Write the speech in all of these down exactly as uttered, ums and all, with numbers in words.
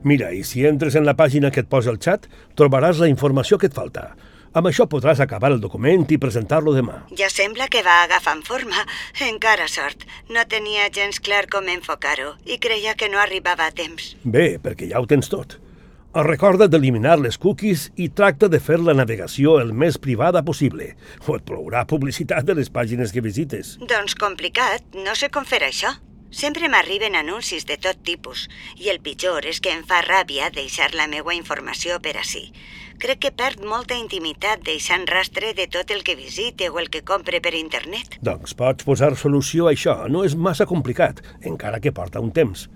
Mira, i si entres en la pàgina que et posa el xat, trobaràs la informació que et falta. Amb això podràs acabar el document i presentar-lo demà. Ja sembla que va agafant forma. Encara sort. No tenia gens clar com enfocar-ho i creia que no arribava a temps. Bé, perquè ja ho tens tot. Recorda d'eliminar les cookies i tracta de fer la navegació el més privada possible, o et plourà publicitat de les pàgines que visites. Doncs complicat, no sé com fer això. Sempre m'arriben anuncis de tot tipus, i el pitjor és que em fa ràbia deixar la meua informació per ací. Crec que perd molta intimitat deixant rastre de tot el que visite o el que compre per internet. Doncs pots posar solució a això, no és massa complicat, encara que porta un temps.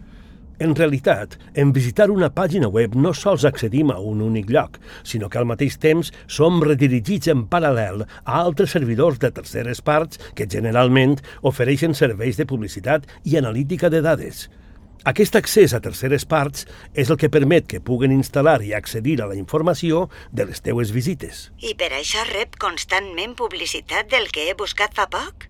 En realitat, en visitar una pàgina web no sols accedim a un únic lloc, sinó que al mateix temps som redirigits en paral·lel a altres servidors de terceres parts que generalment ofereixen serveis de publicitat i analítica de dades. Aquest accés a terceres parts és el que permet que puguen instal·lar i accedir a la informació de les teues visites. I per això rep constantment publicitat del que he buscat fa poc?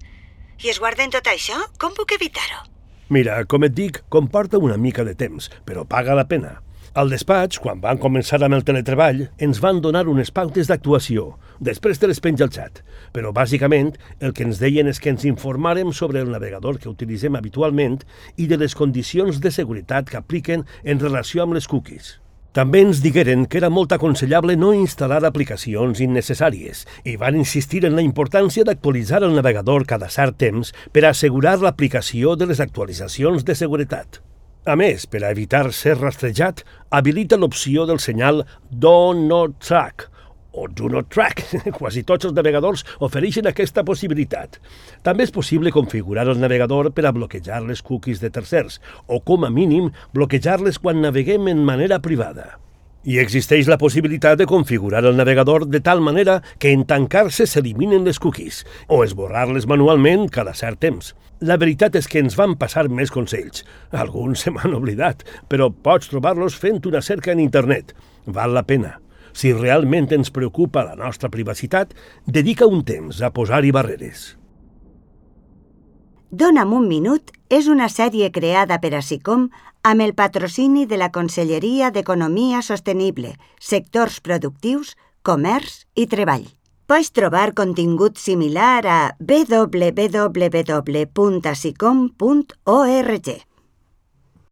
I es guarden tot això? Com puc evitar-ho? Mira, com et dic, comporta una mica de temps, però paga la pena. Al despatx, quan van començar amb el teletreball, ens van donar unes pautes d'actuació. Després te les penja al xat. Però, bàsicament, el que ens deien és que ens informàrem sobre el navegador que utilitzem habitualment i de les condicions de seguretat que apliquen en relació amb les cookies. També ens digueren que era molt aconsellable no instal·lar aplicacions innecessàries i van insistir en la importància d'actualitzar el navegador cada cert temps per assegurar l'aplicació de les actualitzacions de seguretat. A més, per a evitar ser rastrejat, habilita l'opció del senyal Do Not Track o Do Not Track. Quasi tots els navegadors ofereixen aquesta possibilitat. També és possible configurar el navegador per a bloquejar les cookies de tercers o, com a mínim, bloquejar-les quan naveguem en manera privada. I existeix la possibilitat de configurar el navegador de tal manera que en tancar-se s'eliminen les cookies o esborrar-les manualment cada cert temps. La veritat és que ens van passar més consells. Alguns se m'han oblidat, però pots trobar-los fent una cerca en internet. Val la pena. Si realment ens preocupa la nostra privacitat, dedica un temps a posar-hi barreres. Dona'm un minut és una sèrie creada per ASICOM amb el patrocini de la Conselleria d'Economia Sostenible, Sectors Productius, Comerç i Treball. Pots trobar contingut similar a w w w punt asicom punt org.